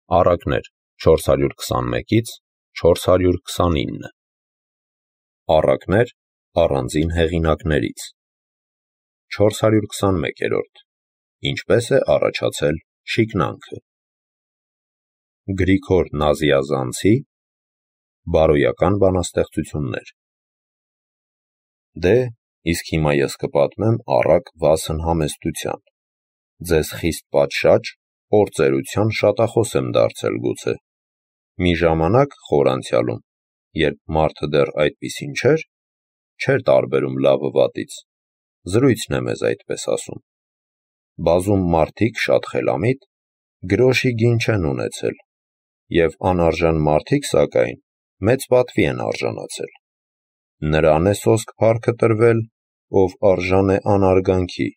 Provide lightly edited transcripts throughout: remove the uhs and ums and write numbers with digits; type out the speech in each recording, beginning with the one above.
Առակներ 421-ից 429 Առակներ առանձին հեղինակներից 421-րդ Ինչպես է առաջացել շիկնանքը Գրիգոր Նազիազանցի Բարոյական բանաստեղծություններ Դե, իսկ հիմա ես կպատմեմ առակ վասն համեստության Ձեզ խիստ պատշաճ օրծերության շատախոս եմ դարձել գուցե Մի ժամանակ խոր անցյալում Երբ մարդը դեռ այդպիսին չէր տարբերում լավը վատից Զրույցն է մեզ այդպես ասում Բազում մարդիկ շատ խելամիտ Գրոշի գին չեն ունեցել Եվ անարժան մարդիկ սակայն Մեծ պատվի են արժանացել Նրան է սոսկ փառքը տրվել Ով արժան է անարգանքի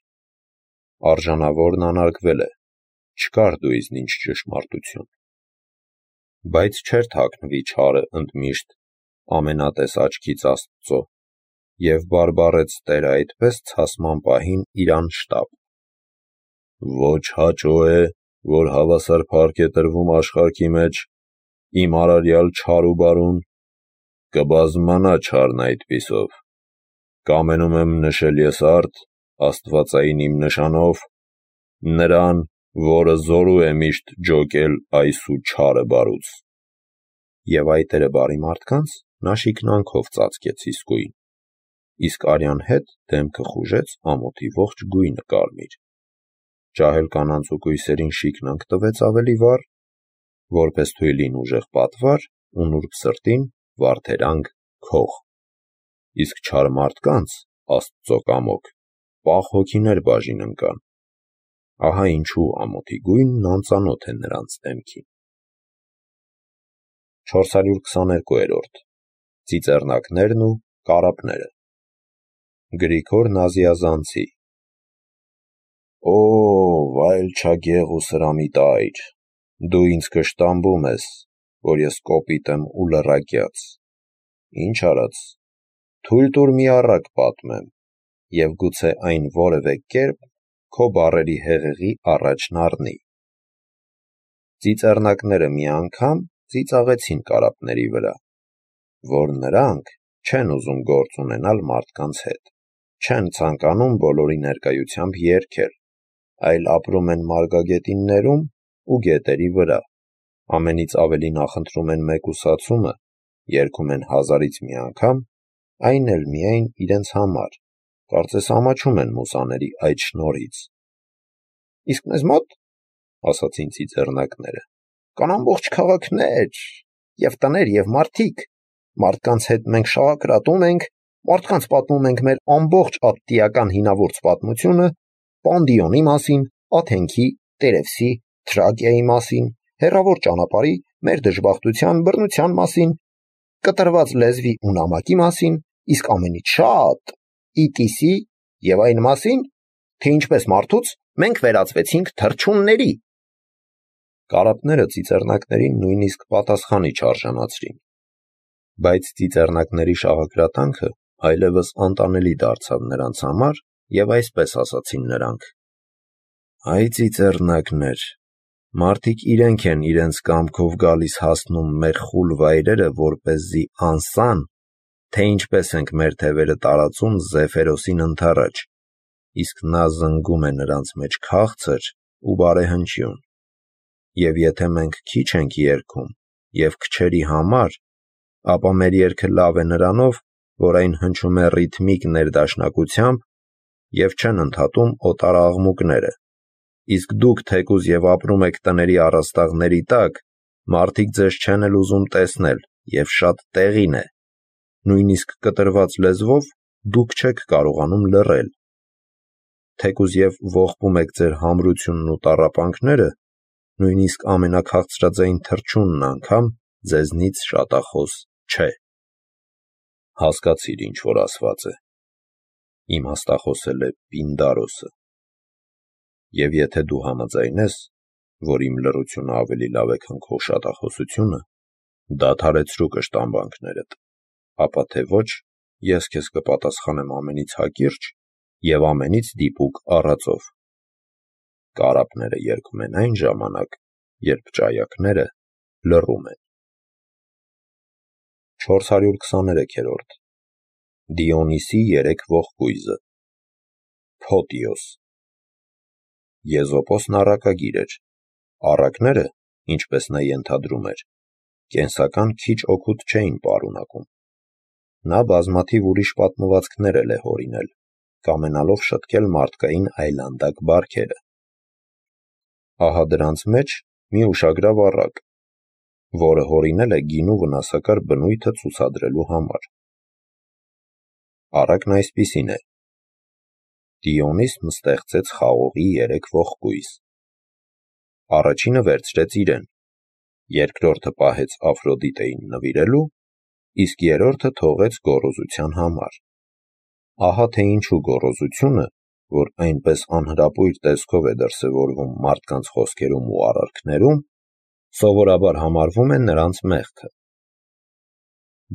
Արժանավորն անարգվել է Չկար դու իզնինչ ճշմարտություն Բայց չէր թաքնվի չարը ընդմիշտ Ամենատես աչքից Աստծո Եվ բարբառեց Տերը այդպես ցասման պահին իրան շտապ Ոչ հաճո է, որ հավասար փառք է տրվում աշխարհքի մեջ Իմ արարյալ չար ու բարուն Կբազմանա չարն այդպիսով Կամենում եմ նշել ես արդ Աստվածային իմ նշանով Նրան, որը զորու է միշտ ջոկել այս ու չարը բարուց Եվ այտերը բարի մարդկանց նա շիկնանքով ծածկեց իսկույն Իսկ արյան հետ դեմքը խուժեց ամոթի ողջ գույնը կարմիր Ջահել կանանց ու կույսերին շիկնանք տվեց ավելի վառ Որպես թույլին ուժեղ պատվար ու նուրբ սրտին վարդերանք քող Իսկ չար մարդկանց Աստծո կամոք պաղ հոգիներ բաժին ընկան Ահա ինչու ամոթի գույնն անծանոթ է նրանց դեմքին 422-րդ Ծիծեռնակներն ու կարապները Գրիգոր Նազիազանցի Օ, վայելչագեղ ու սրամիտ այր, դու ինձ կշտամբում ես, որ ես կոպիտ եմ ու լռակյաց, ինչ արած, թույլ տուր մի առակ պատմեմ, և գուցե այն որևէ կերպ քո բառերի հեղեղի առաջն առնի։ Ծիծեռնակները մի անգամ ծիծաղեցին կարապների վրա, որ նրանք չեն ուզում գործ ունենալ մարդկանց հետ, չեն ցանկանում բոլորի ներկայությամբ երգել, այլ ապրում են մարգագետիններում ու գետերի վրա, ամենից ավելի նախընտրում են մեկուսացումը, երգում են հազարից մի անգամ, այն էլ միայն իրենց համար, կարծես ամաչում են մուսաների այդ շնորհից։ Իսկ մեզ մոտ, ասացին ծիծեռնակները, կան ամբողջ քաղաքներ, և տներ և մարդիկ, մարդկանց հետ մենք շաղակրատում ենք, մարդկանց պատմում ենք մեր ամբողջ ատտիական հինավուրց պատմությունը, Պանդիոնի մասին, Աթենքի, Տերևսի, Թրակիայի մասին, հեռավոր ճանապարհի, մեր դժբախտության, բռնության մասին, կտրված լեզվի ու նամակի մասին, իսկ ամենից շատ Իտիսի և այն մասին, թե ինչպես մարդուց մենք վերածվեցինք թռչունների։ Կարապները ծիծեռնակներին նույնիսկ պատասխանի չարժանացրին, բայց ծիծեռնակների շաղակրատանքը այլևս անտանելի դարձավ նրանց համար և այսպես ասացին նրանք. Այ ծիծեռնակներ, մարդիկ իրենք են իրենց կամքով գալիս հասնում մեր խուլ վայրերը, որպեսզի անսան, թե ինչպես ենք մեր թևերը տարածում Զեֆերոսին ընդառաջ, իսկ նա զնգում է նրանց մեջ քաղցր ու բարեհնչյուն, և եթե մենք քիչ ենք երգում և քչերի համար, ապա մեր երգը լավ է նրանով, որ այն հնչում է ռիթմիկ ներդաշնակությամբ և չեն ընդհատում օտար աղմուկները, իսկ դուք թեկուզ և ապրում եք տների առաստաղների տակ, մարդիկ ձեզ չեն էլ ուզում տեսնել և շատ տեղին է, նույնիսկ կտրված լեզվով դուք չեք կարողանում լռել, թեկուզ և ողբում եք ձեր համրությունն ու տառապանքները, նույնիսկ ամենաքաղցրաձայն թռչունն անգամ ձեզնից շատախոս չէ։ Հասկացիր ինչ որ ասված է, իմաստախոսել է Պինդարոսը, և եթե դու համաձայնես, որ իմ լռությունը ավելի լավ է, քան քո շատախոսությունը, դադարեցրու կշտամբանքներդ, ապա թե ոչ, ես քեզ կպատասխանեմ ամենից հակիրճ և ամենից դիպուկ առածով։ Կարապները երգում են այն ժամանակ, երբ ճայակները լռում են։ 423-րդ Դիոնիսի երեք ողկույզը Փոտիոս Եզոպոսն առակագիր էր։ Առակները, ինչպես նա ենթադրում էր, կենսական քիչ օգուտ չէին պարունակում։ Նա բազմաթիվ ուրիշ պատմվածքներ էլ է հորինել, կամենալով շտկել մարդկային այլանդակ բարքերը։ Ահա դրանց մեջ մի ուշագրավ առակ, որը հորինել է գինու վնասակար բնույթը ցուցադրելու համար։ Առակն այսպիսին է. Դիոնիսն ստեղծեց խաղողի երեք ողկույզ։ Առաջինը վերցրեց իրեն, երկրորդը պահեց Աֆրոդիտեին նվիրելու, իսկ երրորդը թողեց գոռոզության համար։ Ահա թե ինչու գոռոզությունը, որ այնպես անհրապույր տեսքով է դրսևորվում մարդկանց խոսքերում ու արարքներում, սովորաբար համարվում է նրանց մեղքը։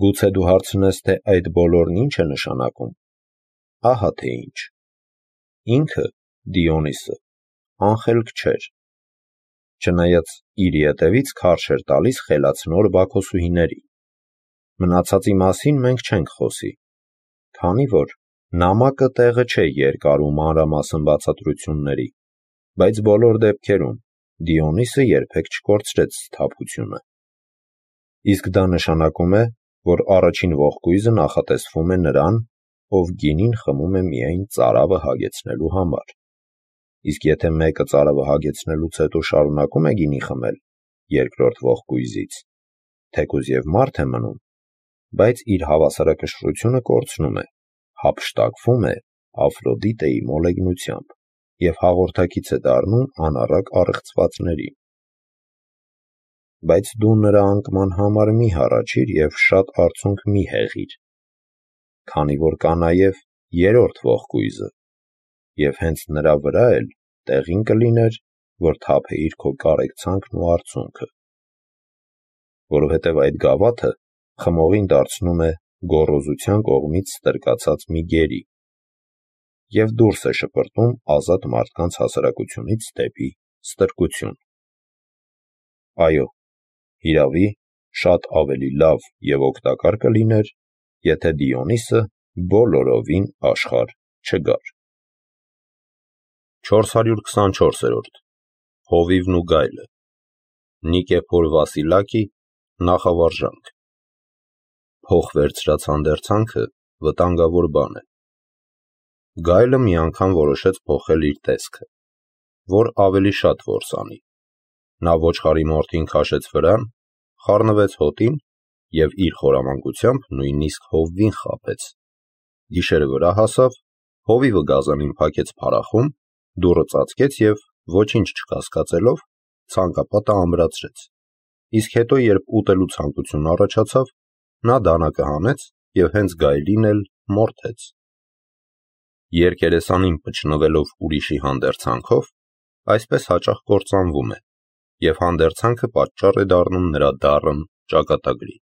Գուցե դու հարցնես, թե այդ բոլորն ինչ է նշանակում։ Ահա թե ինչ։ Ինքը, Դիոնիսը, անխելք չէր։ Չնայած իր ետևից քարշ էր տալիս խելացնոր Բաքոսուհիների։ Մնացածի մասին մենք չենք խոսի, քանի որ նամակը տեղը չէ երկար ու մանրամասն բացատրությունների, բայց բոլոր դեպքերում Դիոնիսը երբեք չկորցրեց սթափությունը։ Իսկ դա նշանակում է, որ առաջին ողկույզը նախատեսվում է նրան, ով գինին խմում է միայն ծարավը հագեցնելու համար։ Իսկ եթե մեկը ծարավը հագեցնելուց հետո շարունակում է գինի խմել երկրորդ ողկույզից, թեկուզ և մարդ է մնում, բայց իր հավասարակշռությունը կորցնում է, հափշտակվում է Աֆրոդիտեի մոլեգնությամբ և հաղորդակից է դառնում անառակ առեղծվածների։ Բայց դու նրա անկման համար մի հառաչիր և շատ արցունք մի հեղիր, քանի որ կա նաև երրորդ ողկույզը, և հենց նրա վրա էլ տեղին կլիներ, որ թափեիր քո կարեկցանքն ու արցունքը, որովհետև այդ գավաթը խմողին դարձնում է գոռոզության կողմից ստրկացած մի գերի և դուրս է շպրտում ազատ մարդկանց հասարակությունից դեպի ստրկություն։ Այո, հիրավի, շատ ավելի լավ և օգտակար կլիներ, եթե Դիոնիսը բոլորովին աշխարհ չգար։ 424-րդ Հովիվն ու գայլը Նիկեփոր Վասիլակի նախավարժանք Փող վերցրած հանդերձանքը վտանգավոր բան է։ Գայլը մի անգամ որոշեց փոխել իր տեսքը, որ ավելի շատ որս անի։ Նա ոչխարի մորթին քաշեց վրան, խառնվեց հոտին և իր խորամանկությամբ նույնիսկ հովվին խաբեց։ Գիշերը վրա հասավ, հովիվը գազանին փակեց փարախում, դուռը ծածկեց և, ոչինչ չկասկածելով, ցանկապատը ամրացրեց, իսկ հետո, երբ ուտելու ցանկություն առաջացավ, նա դանակը հանեց և հենց գայլին էլ մորթեց։ Երկերեսանին պչնվելով ուրիշի հանդերձանքով, այսպես հաճախ կործանվում է, և հանդերձանքը պատճառ է դառնում նրա դառն ճակատագրի։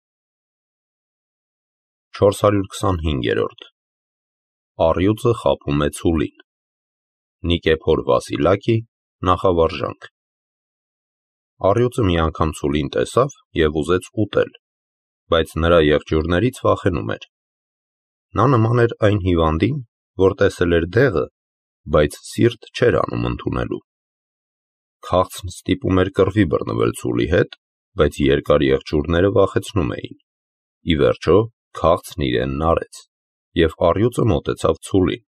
425-րդ Առյուծը խաբում է ցուլին Նիկեփոր Վասիլակի նախավարժանք Առյուծը մի անգամ ցուլին տեսավ և ուզեց ուտել, բայց նրա եղջյուրներից վախենում էր։ Նա նման էր այն հիվանդին, որ տեսել էր դեղը, բայց սիրտ չէր անում ընդունելու։ Քաղցն ստիպում էր կռվի բռնվել ցուլի հետ, բայց երկար եղջյուրները վախեցնում էին։ Ի վերջո, քաղցն իրենն արեց, և առյուծը մոտեցավ ցուլին,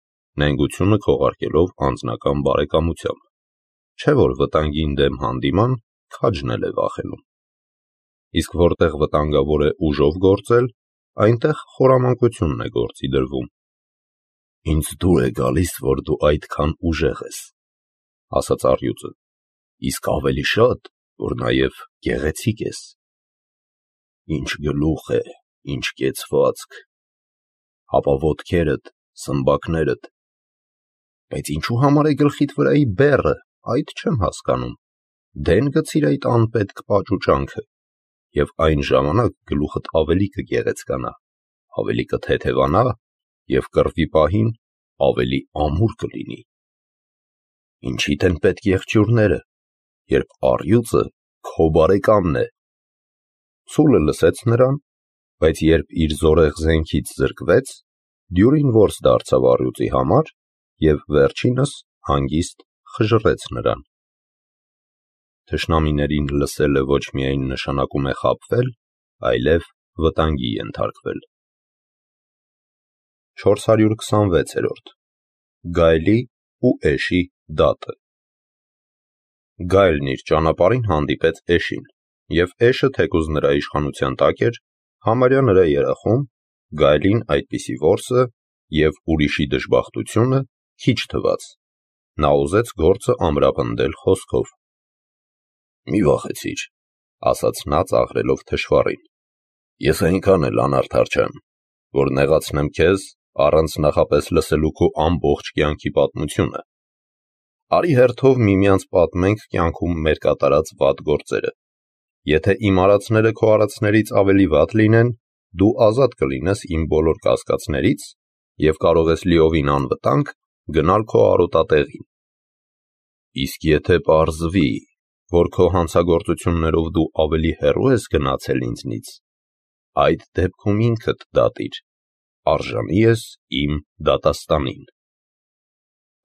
նենգությունը քողարկելով անձնական բարեկամությամբ։ Չէ՞ որ վտանգին դեմ հանդիման քաջն էլ է վախենում։ Իսկ որտեղ վտանգավոր է ուժով գործել, այնտեղ խորամանկությունն է գործի դրվում։ Ինձ դուր է գալիս, որ դու այդքան ուժեղ ես, ասաց առյուծը, իսկ ավելի շատ, որ նաև գեղեցիկ ես։ Ինչ գլուխ է, ինչ կեցվածք, հապա ոտքերդ, սմբակներդ, բայց ինչու համար է գլխիդ վրայի բեռը, այդ չեմ հասկանում։ Դեն գցիր այդ անպետք պաճուճանքը, և այն ժամանակ գլուխդ ավելի կգեղեցկանա, ավելի կթեթևանա և կռվի պահին ավելի ամուր կլինի։ Ինչիդ են պետք եղջյուրները, երբ առյուծը քո բարեկամն է։ Սուլը լսեց նրան, բայց երբ իր զորեղ զենքից զրկվեց, դյուրին որս դարձավ առյուծի համար և վերջինս հանգիստ խժռեց նրան։ Թշնամիներին լսելը ոչ միայն նշանակում է խաբվել, այլև վտանգի ենթարկվել։ 426-րդ Գայլի ու Էշի դատը։ Գայլն իր ճանապարհին հանդիպեց Էշին, և Էշը, թեկուզ նրա իշխանության տակ էր, համարյա նրա երախում, Գայլին այդպիսի որսը և ուրիշի դժբախտությունը քիչ թվաց, նա ուզեց գործը ամրապնդել խոսքով. «Մի վախեցիր», ասաց նա ծաղրելով թշվառին, «ես այնքան էլ անարդար չեմ, որ նեղացնեմ քեզ առանց նախապես լսելու քո ամբողջ կյանքի պատմությունը։ Արի հերթով միմյանց պատմենք կյանքում մեր կատարած վատ գործերը։ Եթե իմ արածները քո արածներից ավելի վատ լինեն, դու ազատ կլինես իմ բոլոր կասկածներից և կարող ես լիովին անվտանգ գնալ քո արոտատեղին։ Իսկ եթե պարզվի, որ քո հանցագործություններով դու ավելի հեռու ես գնացել ինձնից, այդ դեպքում ինքդ դատիր, արժանի ես իմ դատաստանին»։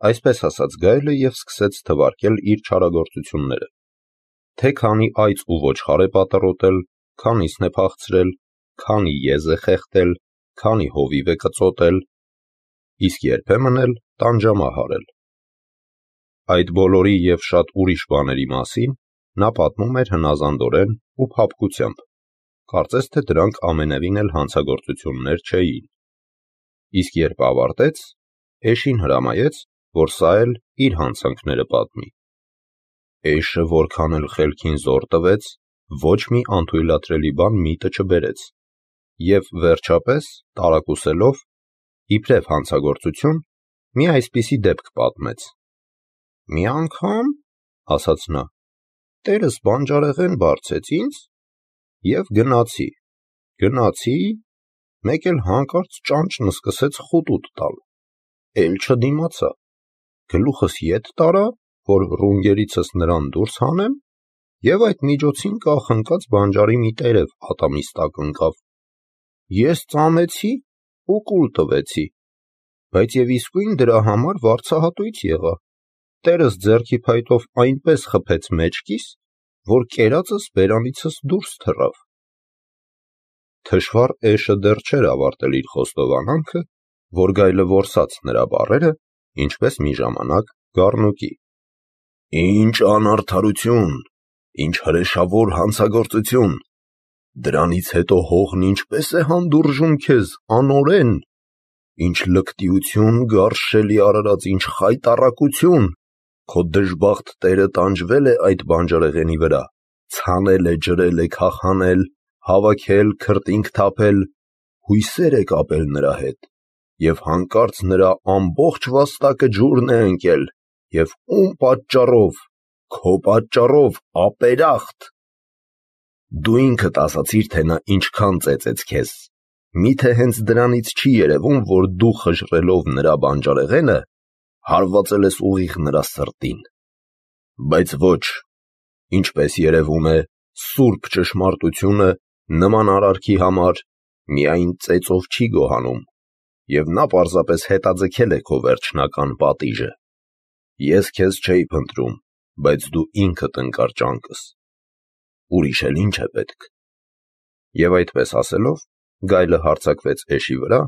Այսպես ասաց Գայլը և սկսեց թվարկել իր չարագործությունները, թե քանի այծ ու ոչխար է պատռոտել, քանիսն է փախցրել, քանի եզ է խեղդել, քանի հովիվ է կծոտել, իսկ երբեմն էլ տանջամահ արել։ Այդ բոլորի և շատ ուրիշ բաների մասին նա պատմում էր հնազանդորեն ու փափկությամբ, կարծես թե դրանք ամենևին էլ հանցագործություններ չէին։ Իսկ երբ ավարտեց, Էշին հրամայեց, որ սա էլ իր հանցանքները պատմի։ Էշը որքան էլ խելքին զոր տվեց, ոչ մի անթույլատրելի բան միտը չբերեց, և վերջապես, տարակուսելով, իբրև հանցագործություն, մի այսպիսի դեպք պատմեց. «Մի անգամ, — ասաց նա, — տերս բանջարեղեն բարձեց ինձ և գնացի, մեկ էլ հանկարծ ճանճն սկսեց խուտուտ տալ, էլ չդիմացա, գլուխս ետ տարա, որ ռունգերիցս նրան դուրս հանեմ, և այդ միջոցին կախնկած բանջարի մի տերև ատամիս տակ ընկավ։ Ես ծամեցի ու կուլ տվեցի, բայց և իսկույն դրա համար վարձահատույց եղա, տերս ձեռքի փայտով այնպես խփեց մեջքիս, որ կերածս բերանիցս դուրս թռավ»։ Թշվառ Էշը դեռ չէր ավարտել իր խոստովանանքը, որ Գայլը որսաց նրա բառերը, ինչպես մի ժամանակ գառնուկի. «Ինչ անարդարություն, ինչ հրեշավոր հանցագործություն, դրանից հետո հողն ինչպես է հանդուրժում քեզ, անօրեն, ինչ լկտիություն, գարշելի արարած, ինչ խայտառակություն, քո դժբախտ տերը տանջվել է այդ բանջարեղենի վրա, ցանել է, ջրել է, քախանել, հավաքել, քրտինք թափել, հույսեր է կապել նրա հետ, և հանկարծ նրա ամբողջ վաստակը ջուրն է ընկել, և ում պատճառով, քո պատճառով, ապերախտ։ Դու ինքդ ասացիր, թե նա ինչքան ծեծեց քեզ, միթե հենց դրանից չի երևում, որ դու խժռելով նրա բանջարեղենը, հարվածել ես ուղիղ նրա սրտին։ Բայց ոչ, ինչպես երևում է, սուրբ ճշմարտությունը նման արարքի համար միայն ծեծով չի գոհանում, և նա պարզապես հետաձգել է քո վերջնական պատիժը։ Ես քեզ չէի փնտրում, բայց դու ինքդ ընկար ճանկս։ Ուրիշ էլ ինչ է պետք»։ Եվ այդպես ասելով, Գայլը հարձակվեց Էշի վրա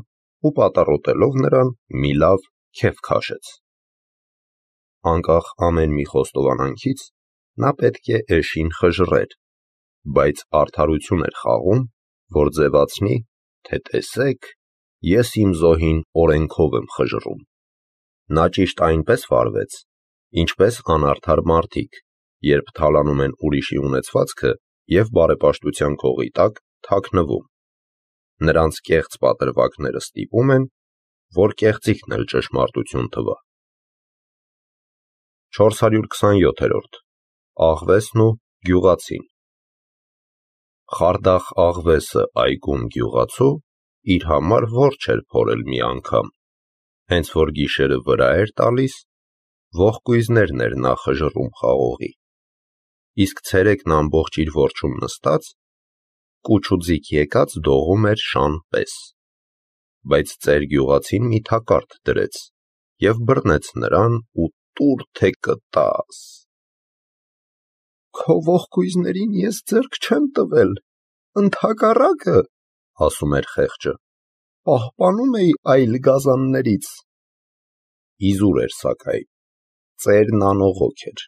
ու պատառոտելով նրան, մի լավ քեֆ քաշեց։ Անկախ ամեն մի խոստովանանքից, նա պետք է Էշին խժռեր, բայց արդարություն էր խաղում, որ ձևացնի, թե տեսեք, ես իմ զոհին օրենքով եմ խժռում։ Նա ճիշտ այնպես վարվեց, ինչպես անարդար մարդիկ, երբ թալանում են ուրիշի ունեցվածքը և բարեպաշտության քողի տակ թաքնվում։ Նրանց կեղծ պատրվակները ստիպում են, որ կեղծիքն էլ ճշմարտություն թվա։ 427-րդ Աղվեսն ու գյուղացին։ Խարդախ աղվեսը այգում գյուղացու իր համար որջ էր փորել մի անգամ, հենց որ գիշերը վրա էր տալիս, ողկույզներն էր նա խժռում խաղողի։ իսկ ցերեկն ամբողջ իր որջում նստած, կուչուձիկ եկած դողում էր շան պես, բայց ծեր գյուղացին մի թակարդ դրեց և բռնեց նրան ու տուր թե կտաս։ «Քո ողկույզներին ես ձեռք չեմ տվել, ընդհակառակը, ասում էր խեղճը, պահպանում էի այլ գազաններից»։ Իզուր էր սակայն, ծերն անողոք էր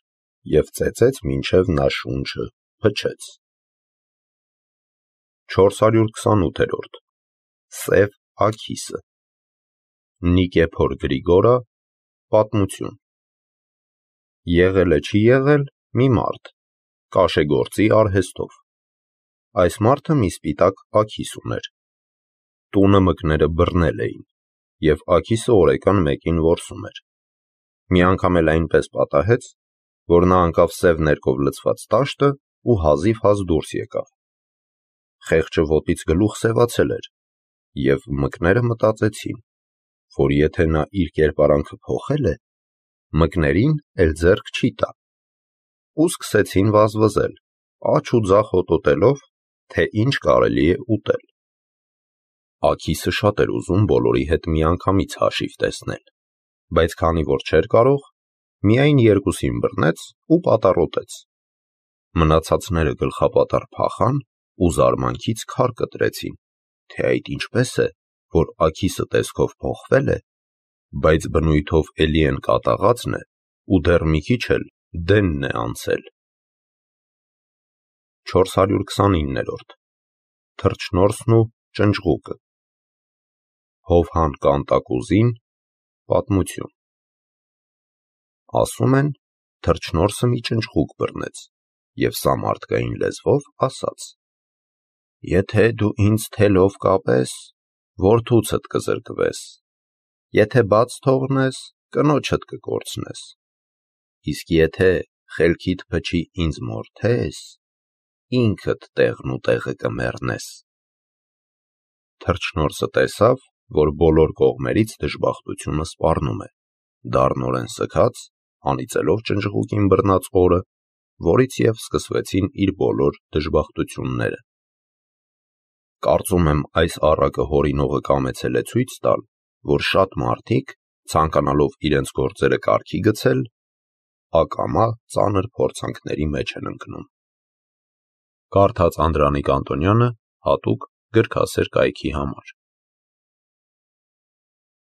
և ծեծեց մինչև նա շունչը փչեց։ 428-րդ Սև աքիսը Նիկեփոր Գրիգորը պատմություն։ Եղել է չի եղել մի մարդ, կաշեգործի արհեստով։ Այս մարդը մի սպիտակ աքիս ուներ։ Տունը մկները բռնել էին, և աքիսը օրեկան մեկին որսում էր։ Մի անգամ էլ այնպես պատահեց, որ նա ընկավ սև ներկով լցված տաշտը ու հազիվ-հազ դուրս եկավ։ Խեղճը ոտից գլուխ սևացել էր, և մկները մտածեցին, որ եթե նա իր կերպարանքը փոխել է, մկներին էլ ձեռք չի տա, ու սկսեցին վազվզել, աջ ու ձախ հոտոտելով, թե ինչ կարելի է ուտել։ Աքիսը շատ էր ուզում բոլորի հետ միանգամից հաշիվ տեսնել, բայց քանի որ չէր կարող, միայն երկուսին բռնեց ու պատառոտեց։ Մնացածները գլխապատառ փախան ու զարմանքից քար կտրեցին, թե այդ ինչպես է, որ աքիսը տեսքով փոխվել է, բայց բնույթով էլի են կատաղածն է ու դեռ մի քիչ էլ դենն է անցել։ 429-րդ Թռչնորսն ու ճնճղուկը Հովհան Կանտակուզին պատմություն։ Ասում են, թռչնորսը մի ճնճղուկ բռնեց և սա մարդկային լեզվով ասաց. «Եթե դու ինձ թելով կապես, որդուցդ կզրկվես, եթե բաց թողնես, կնոջդ կկորցնես, իսկ եթե խելքիդ փչի ինձ մորթես, ինքդ տեղն ու տեղը կմեռնես»։ Թռչնորսը տեսավ, որ բոլոր կողմերից դժբախտությունը սպառնում է, դառնորեն սգաց, անիծելով ճնճղուկին բռնած օրը, որից և սկսվեցին իր բոլոր դժբախտությունները։ Կարծում եմ, այս առակը հորինողը կամեցել է ցույց տալ, որ շատ մարդիկ, ցանկանալով իրենց գործերը կարգի գցել, ակամա ծանր փորձանքների մեջ են ընկնում։ Կարդաց Անդրանիկ Անտոնյանը հատուկ գրքասեր կայքի համար։